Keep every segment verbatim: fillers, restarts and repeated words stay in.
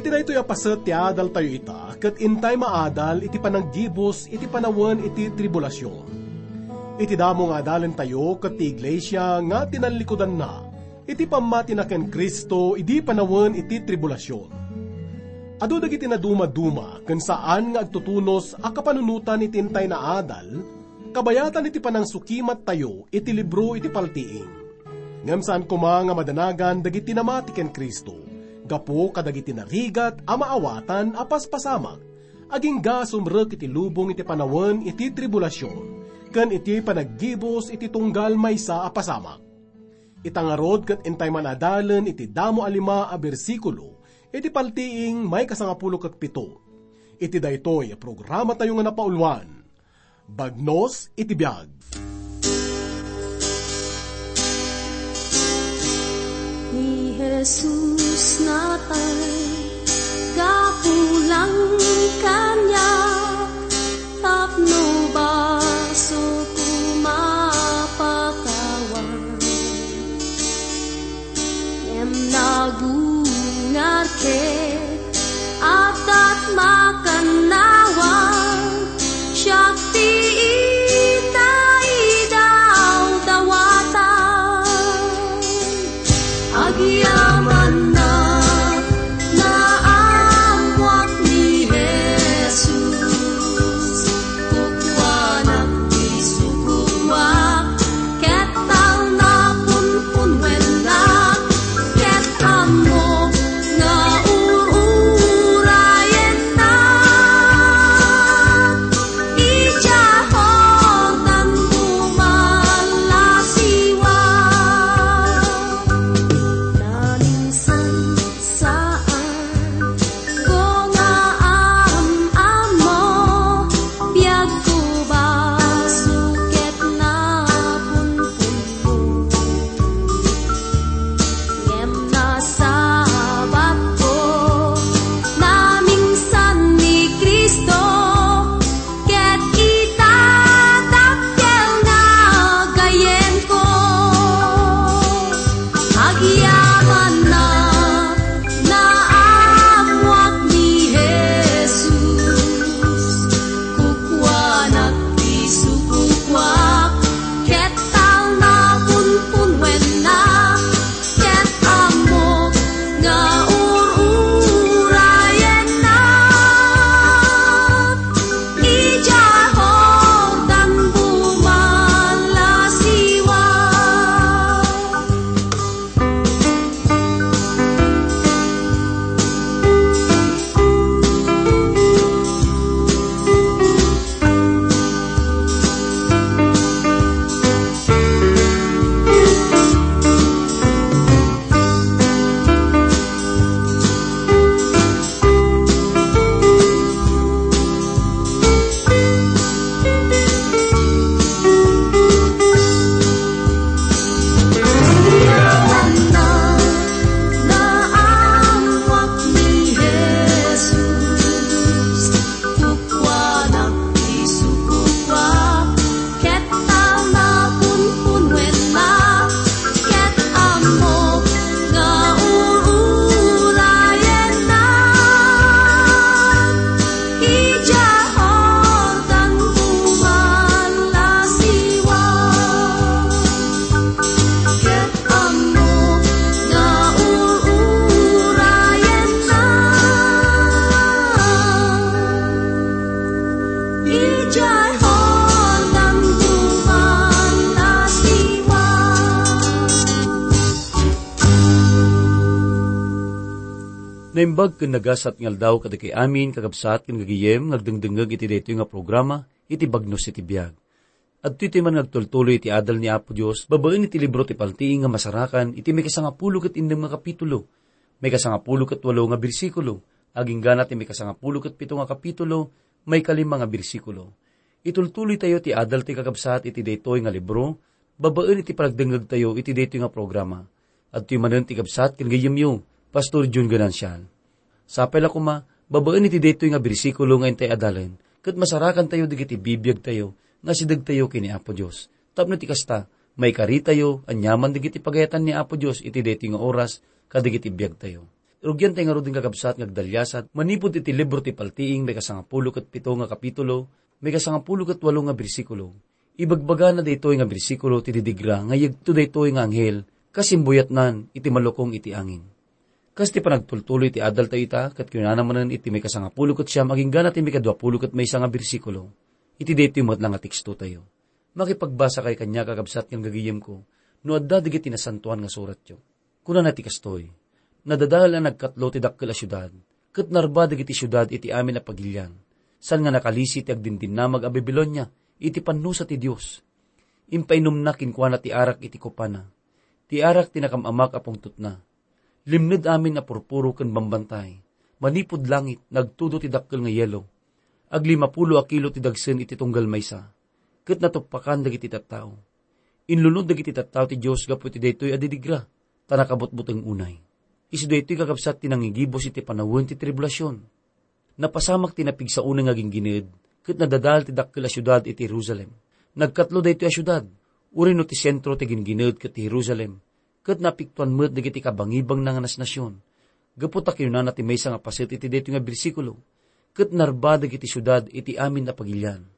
Daytoy a paset ti adaltayo ita, ket intay maadal iti pananggibus iti panawen iti tribulasion. Iti damo nga adalentayo ket ti iglesia nga tinallikudanna iti pammatina ken Cristo idi panawen iti tribulasion. Adu dagiti nadumaduma ken saan nga agtutunos a kapanunotan iti intay naadal, kabayatan iti panangsukimattayo iti libro iti paltiing. Ngem saan koma nga madanagan dagiti namati ken Cristo, gapu kadagiti narigat a maawatan a paspasamak, agingga a sumrek iti lubong iti panawen iti tribulasion, ken iti panaggibus iti tunggal maysa a pasamak. Ita ngarud ket intay man adalen iti damo a lima a bersikulo iti paltiing maikasangapulo ket pito. Iti daytoy a programatayo nga napauluan, Bagnos iti Biag. Ni Jesus natay gapu lang kaniak, tapno basoko mapakawan. Ngem nagungar ket addat makannawan, siak ti inaydaydawatan. Agyamanna, naammoak ni Jesus. Kukuanak ti sukoak, ket talnapunpunwennak, ket ammok nga ur-urayennak. Idiay Jordan bumalasiwa. Naminsan saan ko nga am-ammo, biagko basol ket napunpunmo. Ngem nasabatko, naminsan ni Cristo, ket ita dakkel nga gayyemko. Agyamanna, naammoak ni Jesus. Kukuanak ti sukoak, ket talnapunpunwennak, ket ammok nga ur-urayennak. Idiay Jordan bumalasiwa. Kukuanak ti sukoak, ket talnapunpunwennak, ket ammok nga ur-urayennak. Idiay Jordan bumalasiwa, ket ammok nga ur-urayennak. Idiay Jordan bumalasiwa. Naimbag ken nagasat nga aldaw kadagiti amin, kakabsat ken gagayem, nga agdengdengngeg iti daytoy nga programa, iti Bagnos iti Biag. Adtoy ti man nga agtultuloy iti adal ni Apo Dios babaen iti libro ti Paltiing nga masarakan iti maikasangapulo ket innem nga kapitulo, maikasangapulo ket walo nga bersikulo, agingga ti maikasangapulo ket pito nga kapitulo, maikalima nga bersikulo. Itultuloytayo ti adal ti kakabsat iti daytoy nga libro, babaen iti panagdengngegtayo iti daytoy nga programa. Adtoy manen ti kabsat ken gayyemyo, Pastor Jun Ganancial. Sapay la koma, babaen iti daytoy nga bersikulo nga intay adalen, ket masarakantayo dagiti bibiagtayo nga asidegtayo ken ni Apo Dios. Tapno ti kasta, maikaritayo aniaman dagiti pagayatan ni Apo Dios iti daytoy nga oras kadagiti biagtayo. Rugiantay ngaruden, kakabsat, nga agdaliasat manipud iti libro ti Paltiing, maikasangapulo ket pito nga kapitulo, maikasangapulo ket walo nga bersikulo. Ibagbagana daytoy nga bersikulo ti didigra nga yegto daytoy nga anghel kas imbuyatnan iti malukong iti angin. Kas ti panagtultuloy ti adaltayo ita, ket kinunana manen iti maikasangapulo ket siam agingga na ti maikaduapulo ket maysa nga bersikulo, iti daytoy met la nga tekstotayo. Makipagbasakay kaniak, kakabsat ken gagayemko, no adda dagiti nasantoan nga suratyo. Kunana ti kastoy, "Nadadael a nagkatlo ti dakkel a siudad, ket narba dagiti siudad iti amin a pagilian, saan nga nakalisi ti agdindinnamag a Babilonia iti pannusa ti Dios. Impainumna kenkuana ti arak iti kupana, ti arak ti nakam-amak a pungtotna. Limned amin a purpuro ken bambantay. Manipud langit, nagtudo ti dakkel nga yelo. Aglimapulo a kilo ti dagsen iti tunggal maysa, ket natuppakan dagiti tattao. Inlunod dagiti tattao ti Dios gapu iti daytoy a didigra, ta nakabutbuteng unay." Isu daytoy, kakabsat, ti nangigibus iti panawen ti tribulasion. Napasamak ti napigsa unay nga ginggined, ket nadadael ti dakkel a siudad iti Jerusalem. Nagkatlo daytoy a siudad, uray no ti sentro ti ginggined ket ti Jerusalem, ket napiktuan met dagiti kabangibangna nga nasnasion. Gapu ta kinunana ti maysa nga paset iti daytoy nga bersikulo, "Ket narba dagiti siudad iti amin a pagilian."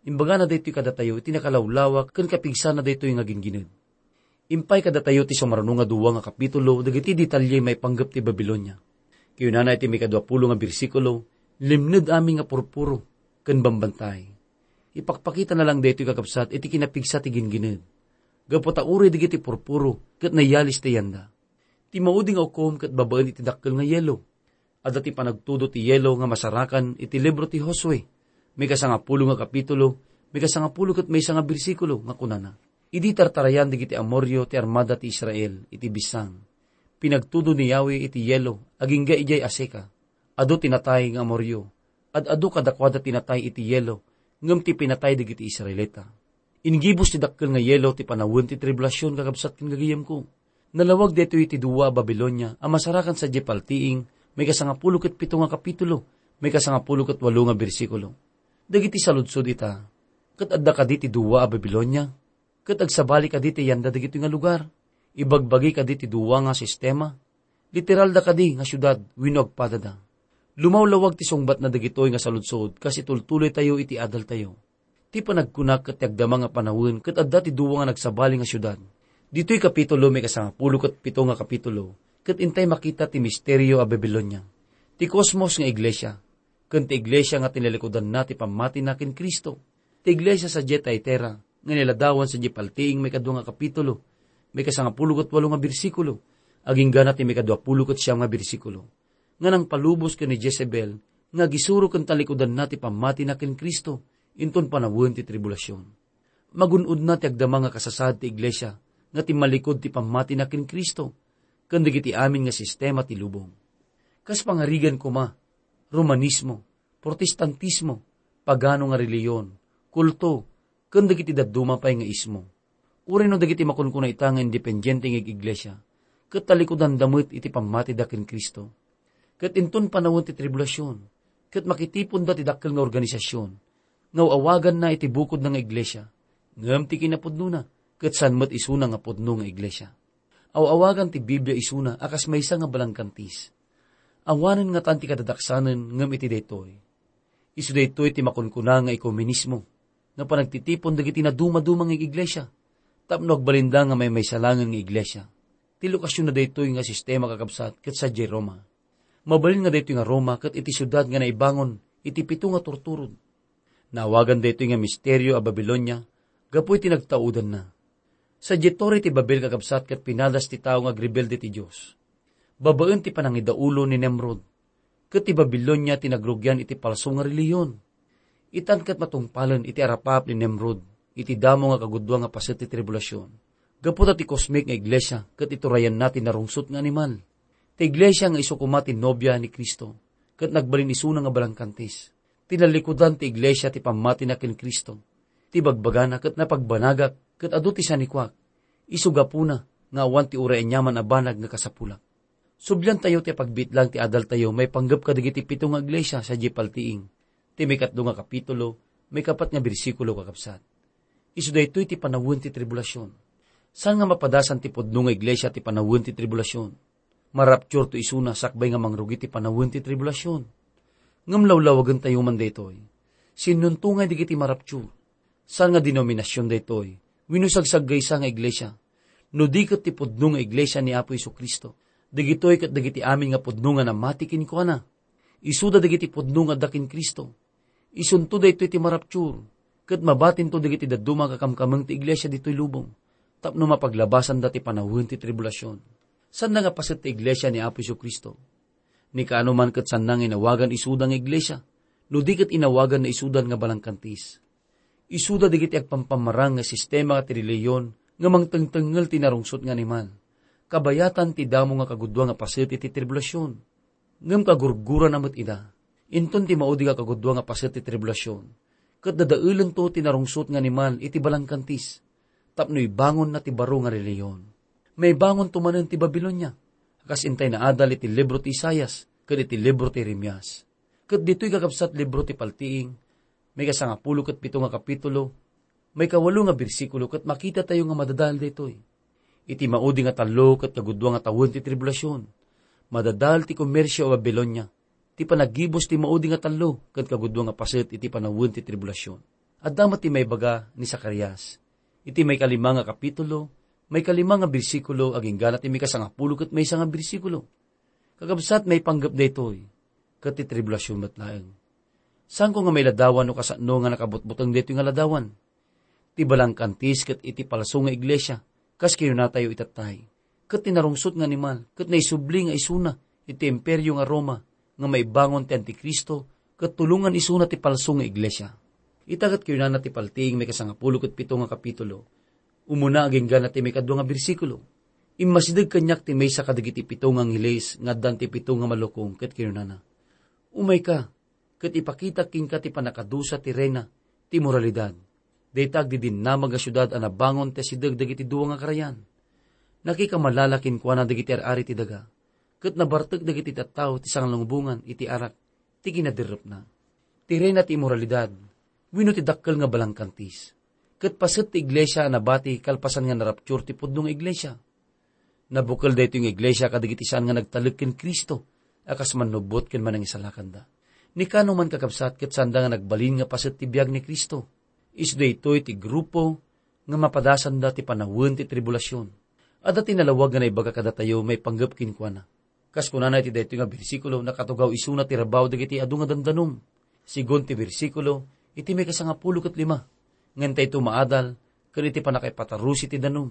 Imbagana daytoy kadatayo iti nakalawlawak ken kapigsana daytoy nga ginggined. Impay kadatayo ti sumaruno nga dua nga kapitulo dagiti detalye maipanggep ti Babilonia. Kinunana iti maikaduapulo nga bersikulo, "Limned amin nga purpuro ken bambantay." Ipakpakitana lang daytoy, kakabsat, iti kinapigsa ti ginggined. Gapu ta uray dagiti purpuro ket nayalis ti yanda. Ti maudi nga ukom ket babaen iti dakkel nga yelo. Adda ti panagtudo ti yelo nga masarakan iti libro ti Josue, maikasangapulo nga kapitulo, maikasangapulo ket maysa nga bersikulo, nga kunana, "Idi tartarayan dagiti Amorio ti armada ti Israel iti bisan, pinagtudo ni Yahweh iti yelo agingga idiay Aseka. Adu ti natay nga Amorio, ad-adu kadakuada ti natay iti yelo, ngem ti pinatay dagiti Israelita." Inggibus ti dakkel nga yelo ti panawen ti tribulasion, kakabsat ken gagayemko. Nalawag daytoy iti dua a Babilonia a masarakan sadiay paltiing, maikasangapulo ket pito nga kapitulo, maikasangapulo ket walo nga bersikulo. Dagiti saludsod ita, ket adda kadi ti dua a Babilonia? Ket agsabali kadi ti yanda dagitoy nga lugar? Ibagbagi kadi ti dua nga sistema? Literalda kadi nga siudad wenno agpadada? Lumawlawag ti sungbatna dagitoy nga saludsod kas itultuloytayo iti adaltayo. Ti panagkuna ket ti agdama nga panawen ket adda ti dua nga nagsabali nga siudad. Ditoy kapitulo, maikasangapulo ket pito nga kapitulo, ket intay makita ti misterio a Babilonia, ti kosmos nga iglesia, ken ti iglesia nga tinalikudanna ti pammatina ken Cristo. Ti iglesia sadiay Tiatira nga niladawan sadiay paltiing maikadua nga kapitulo, maikasangapulo ket walo nga bersikulo, aginggana ti maikaduapulo ket siam nga bersikulo, nga nangpalubos ken ni Jezebel nga agisuro ken talikudanna ti pammatina ken Cristo inton panawen ti tribulasion. Magun-odna ti agdama nga kasasaad ti iglesia nga timmalikod ti pammatina ken Cristo ken dagiti amin nga sistema ti lubong. Kas pangarigan koma, Romanismo, Protestantismo, pagano nga relihiyon, kulto, ken dagiti dadduma pay nga ismo. Uray no dagiti makunkuna ita nga independiente nga ig-iglesia, ket talikudanda met iti pammatida ken Cristo. Ket inton panawen ti tribulasion, ket makitiponda ti dakkel nga organisasion, nga aw-awaganna iti bukodna nga iglesia, ngem ti kinapudnona, ket saan met isuna nga pudno nga iglesia. Aw-awagan ti Biblia isuna a kas maysa nga balangkantis. Awanen ngatan ti kadadaksanen ngem iti daytoy. Isu daytoy ti makunkuna nga ekumenismo, nga panagtitipon dagiti nadumaduma nga iglesia, tapno agbalinda nga maymaysa laengen nga iglesia. Ti lokasionna daytoy nga sistema, kakabsat, ket sadiay Roma. Mabalin nga daytoy nga Roma ket iti siudad nga naibangon iti pito nga turturon. Naawagan daytoy nga misterio a Babilonia gapu iti nagtaudanna. Sadiay Torre ti Babel, kakabsat, ket pinadas ti tao nga agrebelde ti Dios. Babaen ti panangidaulo ni Nimrod, ket ti Babilonia ti nagrugian iti palso nga relihiyon. Itan ket matungpalen iti arapaap ni Nimrod iti damo nga kagudua nga paset ti tribulasion, gapu ta ti kosmik nga iglesia ket iturayanna ti narungsot nga animal. Ti iglesia nga isu koma ti nobia ni Cristo, ket nagbalin isuna nga balangkantis. Tinalikudan ti iglesia ti pammatina ken Cristo. Ti bagbagana ket napagbanagak ket adu ti sanikuak. Isu gapuna nga awan ti uray aniaman a banag nga kasapulak. Subliantayo ti apagbitlang ti adaltayo maipanggep kadagiti pito nga iglesia sadiay paltiing, ti maikatlo nga kapitulo, maikapat nga bersikulo, kakabsat. Isu daytoy ti panawen ti tribulasion. Saan nga mapadasan ti pudno nga iglesia ti panawen ti tribulasion? Marapturto isuna sakbay nga mangrugi ti panawen ti tribulasion. Ngem lawlawagentayo man daytoy. Sinnonto ngay dagiti maraptur? Saan nga denominasion daytoy wenno sagsaggaysa nga iglesia? No di ket ti pudno nga iglesia ni Apo Jesu-Cristo, dagitoy ket dagiti amin nga pudno nga namati kenkuana. Isuda dagiti pudno nga adda ken Cristo. Isunto daytoy ti maraptur, ket mabatinto dagiti dadduma a kakamkameng ti iglesia ditoy lubong, tapno mapaglabasanda ti panawen ti tribulasion. Sanda nga paset ti iglesia ni Apo Jesu-Cristo. Ni kaano man ket sanda nga inawagan isuda nga iglesia, no di ket inawagan na isudan nga balangkantis. Isuda dagiti agpampamarang nga sistema ti relihiyon nga mangtengtengngel ti narungsot nga animal. Kabayatan ti damo nga kagudua nga paset iti tribulasion. Ngem kagurgurana met ida. Inton ti maudi nga kagudua nga paset ti tribulasion, ket dadaelento ti narungsot nga animal iti balangkantis, tapno ibangonna ti baro nga relihiyon. Maibangonto manen ti Babilonia, kas intay naadal iti libro ti Isaias ken iti libro ti Jeremias. Ket ditoy kakabsat libro ti Paltiing, maikasangapulo ket pito nga kapitulo, maikawalo nga bersikulo ket makitatayo nga madadael daytoy. Iti maudi nga tallo ket kagudua nga tawen ti tribulasion, madadael ti komersio a Babilonia, ti panagibus ti maudi nga tallo ket kagudua nga paset iti panawen ti tribulasion. Adda met ti maibaga ni Zacarias iti maikalima nga kapitulo, maikalima nga bersikulo, agingga na ti maikasangapulo ket maysa nga bersikulo. Kakabsat, maipanggep daytoy ket ti tribulasion met laeng. Saanko nga mailadawan no kasano nga nakabutbuteng daytoy nga ladawan? Ti balangkantis ket iti palso nga iglesia, kas kinunatayo itattay, ket ti narungsot nga animal ket naisubli nga isuna iti imperio nga Roma nga maibangon ti Antikristo ket tulongan isuna ti palso nga iglesia. Ita ket kinunana ti Paltiing maikasangapulo ket pito nga kapitulo, umuna agingga na ti maikadua nga bersikulo, "Immasideg kaniak ti maysa kadagiti pito nga angheles nga addan ti pito nga malukong ket kinunana, 'Umayka, ket ipakitak kenka ti pannakadusa ti reyna ti moralidad, dayta agdidinnamag a siudad a nabangon ti asideg dagiti dua nga karayan. Nakikammalala kenkuana dagiti ar-ari ti daga, ket nabartek dagiti tattao ti sanglungbongan iti arak ti kinaderrepna.'" Ti reyna ti immoralidad wenno ti dakkel nga balangkantis ket paset ti iglesia a nabati kalpasan nga naraptur ti pudno nga iglesia. Nabukel daytoy nga iglesia kadagiti saan nga nagtalek ken Cristo a kas mannubbot ken manangisalakanda. Ni kano man, kakabsat, ket saanda nga nagbalin nga paset ti biag ni Cristo. Isu daytoy ti grupo nga mapadasanda ti panawen ti tribulasion. Adda ti nalawag nga naibaga kadatayo maipanggep kenkuana. Kas kunana iti daytoy nga bersikulo, nakatugaw isuna ti rabaw dagiti adu nga dandanum. Sigun ti bersikulo, iti maikasangapulo ket lima, nga intayto maadal ken iti pannakaipatarusi ti danum,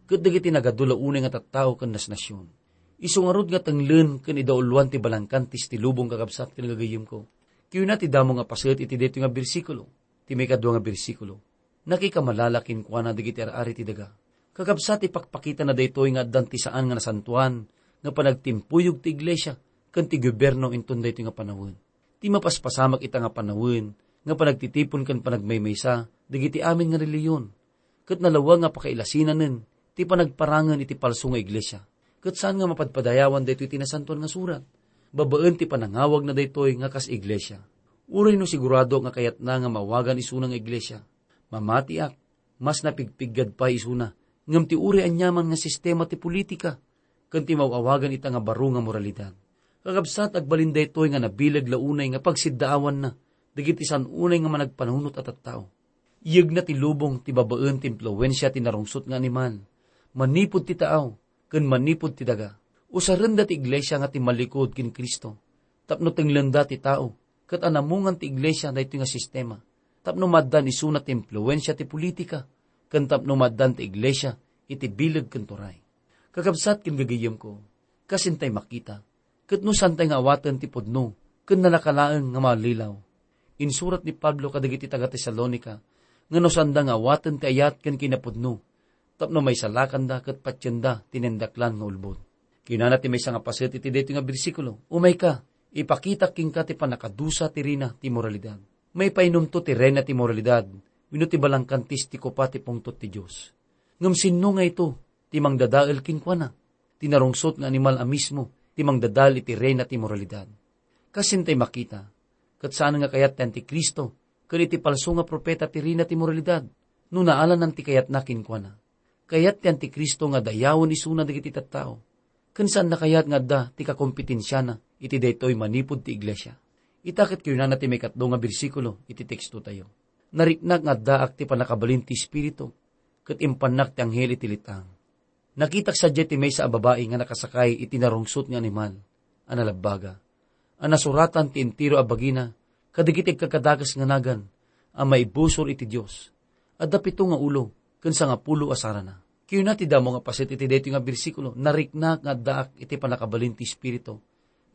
ket dagiti nagadu la unay nga tattao ken nasnasion. Isu ngarud nga tenglen ken idauloan ti balangkantis ti lubong, kakabsat ken gagayyemko. Kiuna ti damo nga paset iti daytoy nga bersikulo, ti maikadua nga bersikulo, "Nakikammalala kenkuana dagiti ar-ari ti daga." Kakabsat, ipakpakitana daytoy nga addan ti saan nga nasantoan nga panagtimpuyog ti iglesia ken ti gobierno inton daytoy nga panawen. Ti mapaspasamak ita nga panawen nga panagtitipon ken panagmaymaysa dagiti amin nga relihiyon, ket nalawag nga pakailasinanen ti panagparangen iti palso nga iglesia. Ket saan nga mapadpadayawan daytoy ti Nasantoan nga Surat babaen ti panangawagna daytoy nga kas iglesia. Uray no sigurado nga kayatna nga maawagan isuna nga iglesia, mamatiak, mas napigpiggad pay isuna, ngem ti uray aniaman nga sistema ti politika ken ti maaw-awagan ita nga baro nga moralidad. Kakabsat, agbalin daytoy nga nabileg la unay nga pagsiddaawanna dagiti saan unay nga managpanunot a tattao. Iyegna ti lubong ti babaen ti impluensia ti narungsot nga animal, manipud ti taaw, ken manipud ti daga. Usarenda ti iglesia nga timmalikod ken Cristo, tapno tenglenda ti tao, ket anamungan ti iglesia daytoy nga sistema, tapno maaddan isuna ti impluensia ti politika, ken tapno maaddan ti iglesia iti bileg ken turay. Kakabsat ken gagayyemko, kas intay makita, ket no saantay nga awaten ti pudno ken nalaka laeng nga mallilaw. Insurat ni Pablo kadagiti taga-Tesalonica nga no saanda nga awaten ti ayat ken kinapudno, tapno maisalakanda ket patienda ti naindaklan nga ulbod. Kinana ti maysa nga paset iti daytoy nga bersikulo, "Umayka, ipakitak kenka ti pannakadusa ti reyna ti moralidad." Maipainumto ti reyna ti moralidad wenno ti balangkantis ti kopa ti pungtot ti Dios. Ngem sinno nga ito ti mangdadael kenkuana? Ti narungsot nga animal a mismo ti mangdadael iti reyna ti moralidad. Kas intay makita, ket saan nga kayat ti Antikristo ken iti palso nga profeta ti reyna ti moralidad no naalanan ti kayatna kenkuana. Kayat ti Antikristo nga dayawen isuna dagiti tattao. ken saanna kayat nga adda ti kakompetensiana iti daytoy manipud ti iglesia. Ita ket kinunana ti maikatlo nga bersikulo iti tekstotayo, "Nariknak nga addaak ti pannakabalin ti Espiritu, ket impannak ti anghel iti let-ang. Nakitak sadiay ti maysa a babai nga nakasakay iti narungsot nga animal a nalabbaga, a nasuratan ti entero a bagina kadagiti agkakadakes nga nagan a maibusor iti Dios. Adda pito nga ulo ken sangapulo a sarana." Kinuna ti damo nga paset iti daytoy nga bersikulo, "Nariknak nga addaak iti pannakabalin ti Espiritu,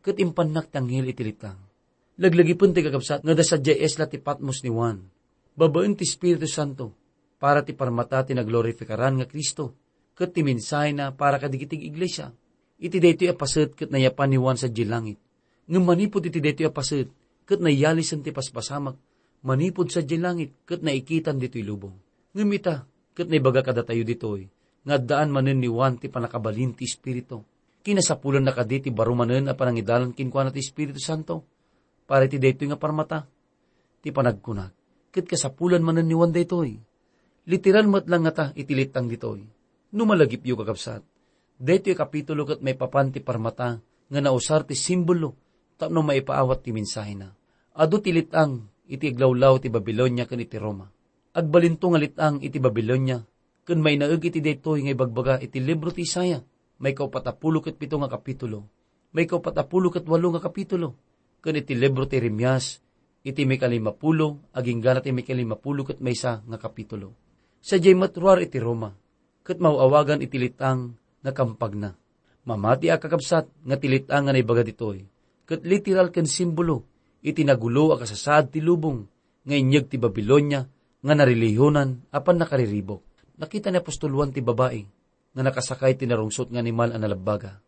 ket impannak ti anghel iti let-ang." Laglagipen ti kakabsat nga adda sadiay isla ti Patmos ni Juan, babaen ti Espiritu Santo, para ti parmata ti naglorifikaran nga Cristo, ket ti mensahena para kadagiti iglesia. Iti daytoy a paset ket nayapan ni Juan sadiay langit. Ngem manipud iti daytoy a paset, ket nayalisen ti paspasamak manipud sadiay langit ket naikitan ditoy lubong. Ngem ita, ket naibaga kadatayo ditoy, nga addaan manen ni Juan ti pannakabalin ti Espiritu. Kinasapulanna kadi ti baro manen a panangidalan kenkuana ti Espiritu Santo para iti daytoy nga parmata? Ti panagkunak, ket kasapulan manen ni Juan daytoy. Literal met la ngata iti let-ang ditoy. No malagipyo, kakabsat, daytoy a kapitulo ket maipapan ti parmata nga nausar ti simbolo tapno maipaawat ti mensahena. Adu ti let-ang iti aglawlaw ti Babilonia ken iti Roma. Agbalinto nga let-ang iti Babilonia ken mainaeg iti daytoy nga ibagbaga iti libro ti Isaiah, maikaupat a pulo ket pito nga kapitulo, maikaupat a pulo ket walo nga kapitulo, ken iti libro ti Jeremias, iti maikalimapulo, agingga ti maikalimapulo ket maysa nga kapitulo. Sadiay met ruar iti Roma, ket maaw-awagan iti let-ang nga kampagna. Mamati a kakabsat nga ti let-ang nga naibaga ditoy, ket literal ken simbolo iti nagulo a kasasaad ti lubong nga inyeg ti Babilonia nga narelihiyonan a pannakariribuk. Nakita ni apostol Juan ti babai nga nakasakay ti narungsot nga animal a nalabbaga.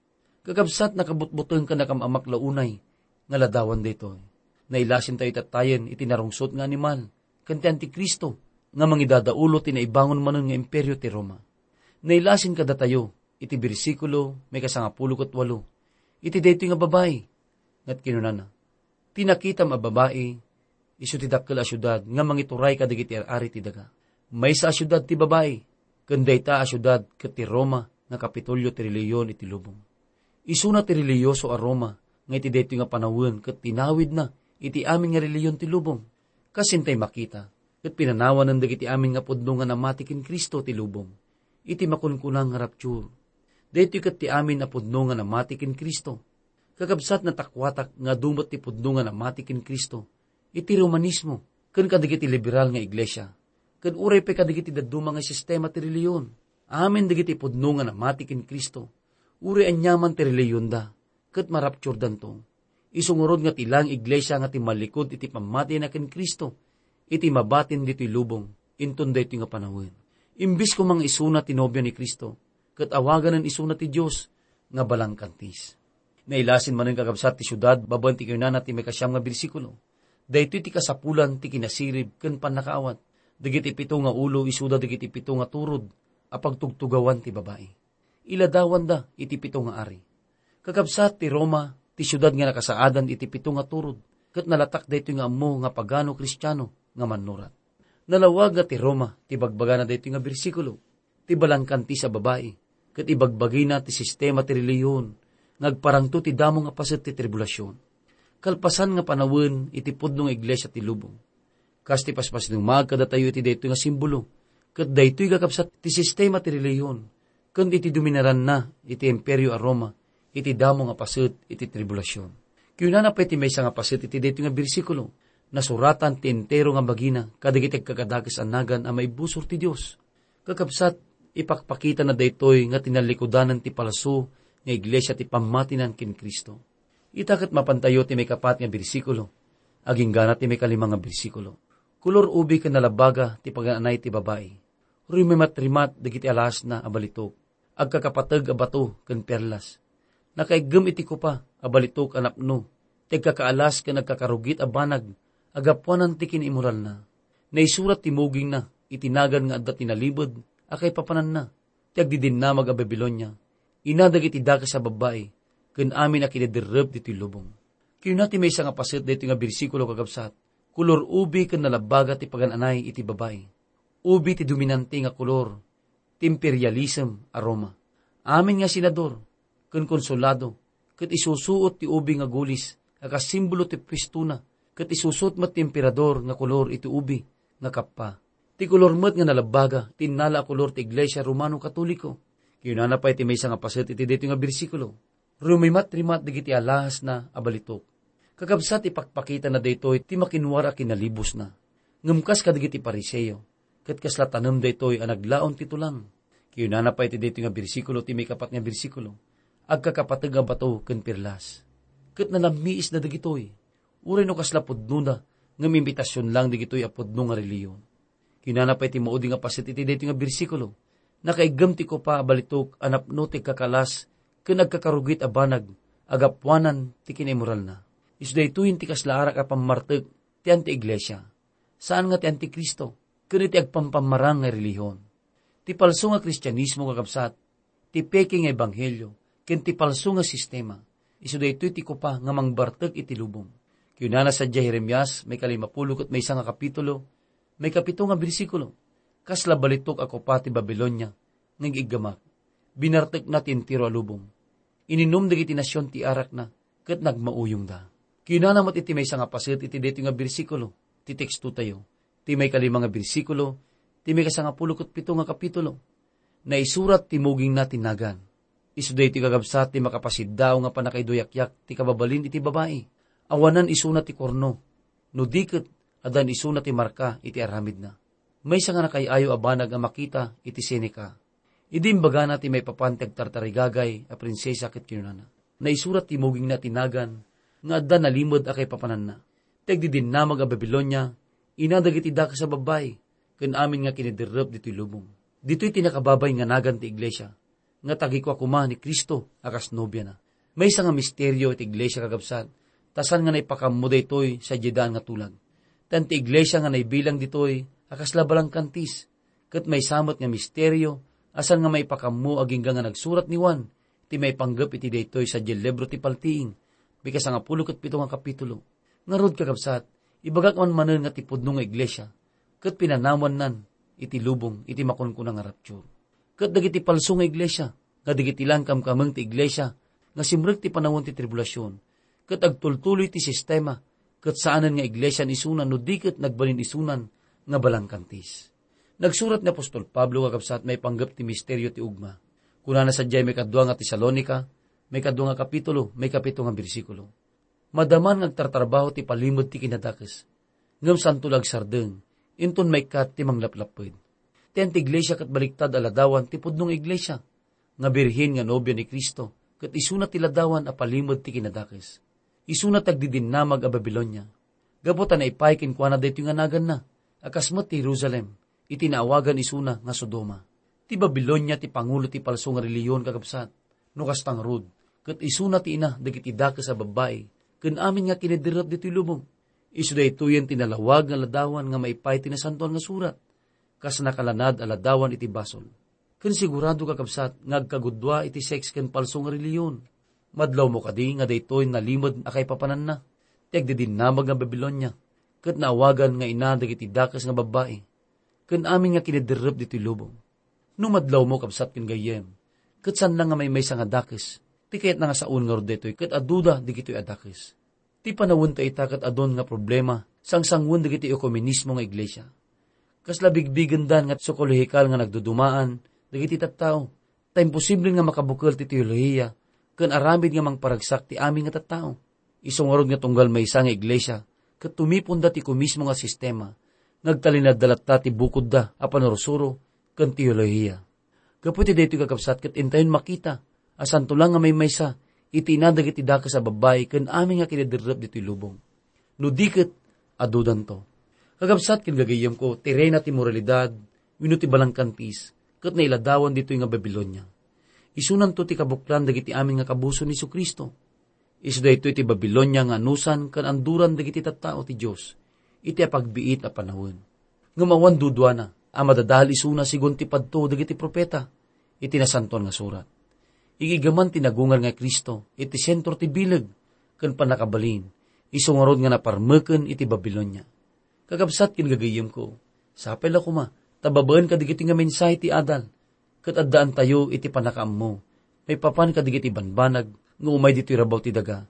Kakabsat, nakabutbuteng ken nakam-amak la unay nga ladawan daytoy. Nailasintayo tattayen iti narungsot nga animal ken ti Antikristo nga mangidadaulo ti naibangon manen nga imperio ti Roma. Nailasin kadatayo iti bersikulo maikasangapulo ket walo iti daytoy nga babai, nga kinunana, "Ti nakitam a babai, isu ti dakkel a siudad nga mangituray kadagiti ar-ari ti daga. Maysa a siudad ti babai, ken dayta a siudad ket ti Roma nga Kapitolio ti relihiyon iti lubong. Isuna ti relihiyoso a Roma nga iti daytoy nga panawen ket tinawidna iti amin nga relihiyon ti lubong. Kas intay makita, ket pinanawanen dagiti amin nga pudno nga namati ken Cristo ti lubong iti makunkuna nga rapture. Daytoy ket ti amin a pudno nga namati ken Cristo." Kakabsat, natakuatak nga adu met ti pudno nga namati ken Cristo iti Romanismo ken kadagiti liberal nga iglesia, ken uray pay kadagiti dadduma nga sistema ti relihiyon. Amin dagiti pudno nga namati ken Cristo, uray aniaman ti relihiyonda, ket marapturdanto. Isu ngarud nga ti laeng iglesia nga timmallikud iti pammatiyna ken Cristo iti mabatin ditoy lubong inton daytoy nga panawen. Imbes koma nga isuna ti nobia ni Cristo, ket awaganen isuna ti Dios nga balangkantis. Nailasin manen, kakabsat, ti siudad babaen ti kinunana ti maikasiam nga bersikulo. Daytoy ti kasapulan ti kinasirib ken pannakaawat. Dagiti pito nga ulo isuda dagiti pito nga turod a pagtugtugawan ti babai. Iladawanda iti pito nga ari. Kakabsat, ti Roma ti siudad nga nakasaadan iti pito nga turod, ket nalatak daytoy nga ammo nga pagano Kristiano nga mannurat. Nalawag nga ti Roma ti bagbagana daytoy nga bersikulo, ti balangkantis a babai, ket ibagbagina ti sistema ti relihiyon nga agparangto ti damo nga paset ti tribulasion, kalpasan nga panawen iti pudno nga iglesia ti lubong. Kas ti paspasidungag kadatayo iti daytoy nga simbolo, ket daytoy, kakabsat, ti sistema ti relihiyon ken iti dominaranna iti Imperio a Roma iti damo nga paset iti tribulasion. Kinunana pay ti maysa nga paset iti daytoy nga bersikulo, "Nasuratan ti entero nga bagina kadagiti agkakadakes a nagan a maibusor ti Dios." Kakabsat, ipakpakitana daytoy nga tinallikudanan ti palso nga iglesia ti pammatinan ken Cristo. Ita ket mapantayo ti maikapat nga bersikulo, aginggana ti maikalima nga bersikulo. Kolor ubi ken nalabbaga ti pagan-anay ti babai. Rumimatrimat dagiti alasna a balitok, agkakapateg a bato ken perlas. Nakaiggem iti kopa a balitok a napno ti agkakaalas ken agkakarugit a banag a gapuanan ti kinaimoralna. Naisurat ti mugingna iti nagan nga adda tinalibed a kaipapananna, ti agdidinnamag a Babilonia, ina dagiti dakes a babbai, ken amin a kinaderrep ditoy lubong. Kinuna ti maysa nga paset daytoy nga bersikulo, kakabsat, "Kolor ubi ken nalabbaga ti pagan-anay iti babai." Ubi ti dominante nga kolor ti imperialism a Roma. Amin nga senador, ken konsolado, ket isusuot ti ubi nga gulis a kas simbolo ti puestona, ket isusuot met ti emperador nga kolor iti ubi nga kappa. Ti kolor met nga nalabbaga ti innala a kolor ti Iglesia Romano Katoliko. Kinunana pay ti maysa nga paset iti daytoy nga bersikulo, "Rumimatrimat dagiti alahasna a balitok." Kakabsat, ipakpakitana daytoy ti makinwar a kinalibusna. Ngem kas kadagiti Fariseo, ket kasla tanem daytoy a naglaon ti tulang. Kinunana pay iti daytoy nga bersikulo ti maikapat nga bersikulo, "Agkakapateg a bato ken perlas." Ket nanammiisda dagitoy. Uray no kasla pudnona, ngem imbitasion lang dagitoy a pudno nga relihiyon. Kinunana pay ti maudi nga paset iti daytoy nga bersikulo, "Nakaiggem ti kopa a balitok a napno ti agkakalas ken agkakarugit a banag a gapuanan ti kinaimoralna." Isu daytoyen ti kasla arak a pammartek ti anti-iglesia, saan nga ti antikristo, ken iti agpampammarang nga relihiyon. Ti palso nga Kristianismo, kakabsat, ti peke nga ebanghelio, ken ti palso nga sistema, isu daytoy ti kopa nga mangbartek iti lubong. Kinunana sadiay Jeremias, maikalimapulo ket maysa nga kapitulo, maikapito nga bersikulo, "Kasla balitok a kopa ti Babilonia nga ig-iggamak. Binartekna ti entero a lubong. Ininum dagiti nasion ti arakna, ket nagmauyongda." Kinunana met iti maysa nga paset iti daytoy nga bersikulo ti tekstotayo, ti maikalima nga bersikulo ti maikasangapulo ket pito nga kapitulo, "Naisurat ti mugingna ti nagan." Isu daytoy, kakabsat, ti makapasiddaaw nga pannakaiduyakyak ti kababalin iti babai. Awanan isuna ti korno, no di ket addan isuna ti marka iti aramidna. Maysa nga nakay-ayo a banag a makita iti Seneca. Idi imbagana ti maipapan ti agtartarigagay a prinsesa ket kinunana, "Naisurat ti mugingna ti nagan nga adda nalimed a kaipapananna. Ti agdidinnamag a Babilonia, ina dagiti dakes a babbai, ken amin nga kiniderrep ditoy lubong." Ditoy ti nakababay nga nagan ti iglesia, nga tagikua koma ni Cristo a kas nobiana. Maysa nga misterio iti iglesia, kakabsat, ta saan nga naipakammo daytoy sadiay daan nga tulag. Tan ti iglesia nga naibilang ditoy a kasla balangkantis, ket maysa met nga misterio a saan nga maipakammo agingga nga nagsurat ni Juan ti maipanggep iti daytoy sadiay libro ti Paltiing, maikasangapulo ket pito nga kapitulo. Ngarud, kakabsat, ibagak man manen nga ti pudno nga iglesia ket pinanawannan iti lubong iti makunkuna nga rapture. Ket dagiti palso nga iglesia, nga dagiti la kamkameng ti iglesia nga simrek ti panawen ti tribulasion, ket agtultuloy ti sistema, ket saanen nga iglesian isuna no di ket nagbalin isunan nga balangkantis. Nagsurat ni apostol Pablo, kakabsat, maipanggep ti misterio ti ugma. Kunana sadiay maikadua nga Tesalonica, maikadua nga kapitulo, maikapito nga bersikulo, "Madaman nga agtartarbaho ti palimed ti kinadakes, ngem santo la agsardeng, inton maikkat ti manglaplapped." Ti anti-iglesia ket baliktad a ladawan ti pudno nga iglesia, nga birhen nga nobia ni Cristo, ket isuna ti ladawan a palimed ti kinadakes. Isuna ti agdidinnamag a Babilonia. Gapu ta naipay kenkuana daytoy nga naganna, a kas met ti Jerusalem, iti naawagan isuna nga Sodoma. Ti Babilonia ti pangulo ti palso nga relihiyon, kakabsat. No kasta ngarud, ket isuna ti ina dagiti dakes a babbai ken amin nga kiniderrep ditoy lubong. Isu daytoyen ti nalawag nga ladawan nga maipay ti Nasantoan nga Surat, kas nakalanad a ladawan iti basol. Ken sigurado, kakabsat, nga agkagudua iti sex ken palso nga relihiyon. Madlawmo kadi nga daytoy nalimed a kaipapananna, ti agdidinnamag nga Babilonia, ket naawagan nga ina dagiti dakes nga babbai ken amin nga kiniderrep ditoy lubong. No madlawmo, kabsat ken gayyem, ket saan la nga maymaysa nga dakes, ti kayatna nga saon ngarud daytoy ket aduda dagitoy a dakes. Ti panawenta ita ket adun nga problema sangsangoen dagiti ekumenismo nga iglesia. Kasla bigbigendan nga psikolohikal nga nagdudumaan dagiti tattao, ta imposible nga makabukel ti teolohiya ken aramid nga mangparagsak ti amin nga tattao. Isu ngarud nga tunggal maysa nga iglesia ket tumiponda ti ekumenismo nga sistema, nga agtalinadda latta ti bukodda a panursuro ken teolohiya. Gapu iti daytoy, kakabsat, ket intayon makita a santo la nga maymaysa iti ina dagiti dakes a babbai ken amin nga kiniderrep ditoy lubong. No di ket, adudanto. Kakabsat ken gagayyemko, ti reyna ti moralidad wenno ti balangkantis ket nailadawan ditoy nga Babilonia. Isunanto ti kabuklan dagiti amin nga kabuson ni Jesu-Cristo. Isu daytoy ti Babilonia nga anusan ken anduran dagiti tattao ti Dios iti apagbiit a panawen. Ngem awan duduana a madadahel isuna segun ti padto dagiti profeta iti Nasantoan nga Surat. Igiggaman ti nagungar nga Cristo iti sentro ti bileg ken pannakabalin, isu ngarud nga naparmeken iti Babilonia. Kakabsat ken gagayyemko, sapay la koma ta babaen kadagiti nga mensahe ti adal, ket addaantayo iti pannakaammo maipapan kadagiti banbanag nga umay ditoy rabaw ti daga,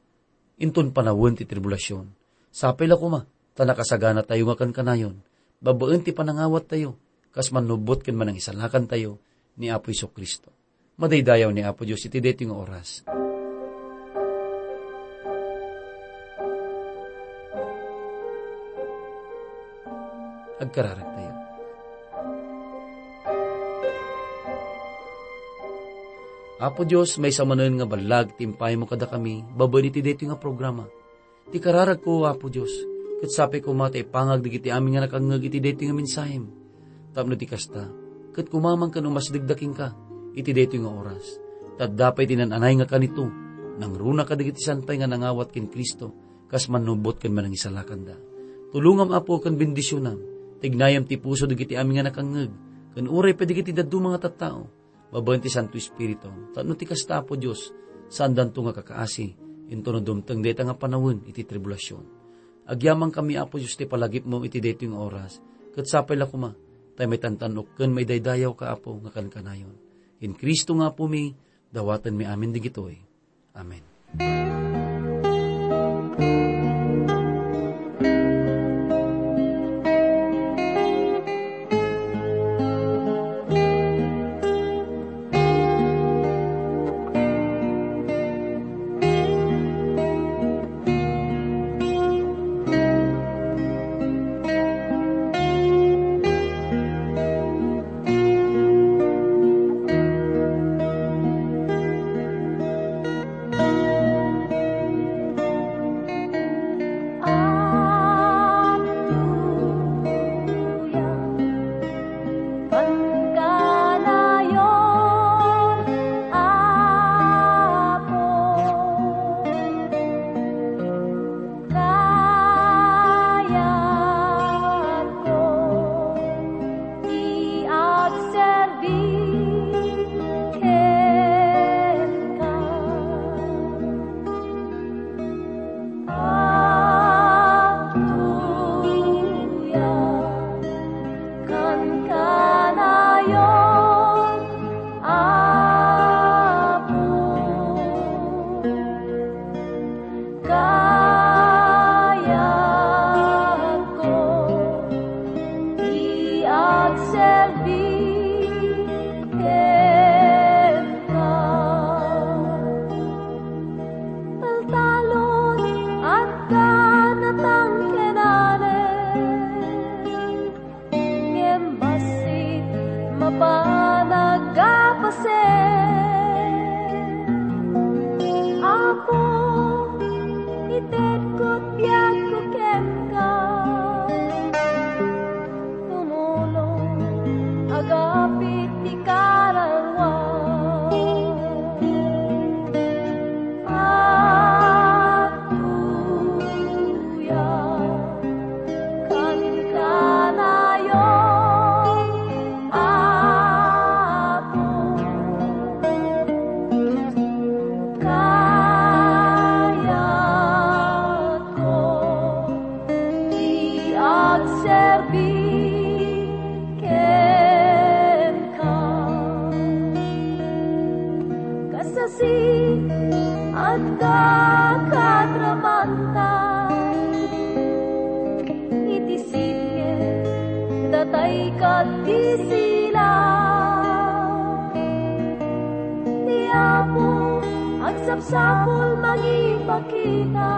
inton panawen ti tribulasion. Sapay la koma, ta nakasaganatayo nga kankanayon, babaen ti panangawattayo, kas mannubot ken manangisalakantayo ni Apo Jesu-Cristo. Madaydayaw ni Apo Dios iti daytoy nga oras. Agkararagtayo. Apo Dios, maysa manen nga ballag ti impaymo kadakami babaen iti daytoy nga programa. Ti kararagko, Apo Dios, ket sapay koma ta ipangag dagiti amin nga nakangngeg iti daytoy nga mensahem. Tapno ti kasta, ket kumamang ken umasdegda kenka iti daytoy nga oras. Ta adda pay ti nan-anay nga kanito, nangruna kadagiti san pay nga nangawat ken Cristo, kas mannubot ken manangisalakanda. Tulongam, Apo, ken bendisionam. Tignayam ti puso dagiti amin nga nakangngeg, ken uray pay dagiti dadduma nga tattao, babaen ti Santo Espiritu, tapno ti kasta, Apo Dios, saandanto nga kakaasi, intono dumteng dayta nga panawen iti tribulasion. Agyamankami, Apo Dios, ti palagipmo iti daytoy nga oras, ket sapay la koma, ta maitantan-ok ken maidaydayawka, Apo, nga kankanayon. Ken Cristo nga Apomi, dawatenmi amin digitoy. Amen. Ti agserbi kenka. Agtuyam kankanayon, Apo. Kayatko ti agserbi kenka. Taltalon, adda natangkenanen. Ngem bassit mapan a aggapasen. Apo, itedko ti biagko kenka. Tumulong, agapit ti kararua. Agtuyam kankanayon, Apo. Kayatko ti agserbi kenka. Kasasi, adda kadramanta iti sitge, datay ket ti sila. Ti Apo agsapsapul mangipakita.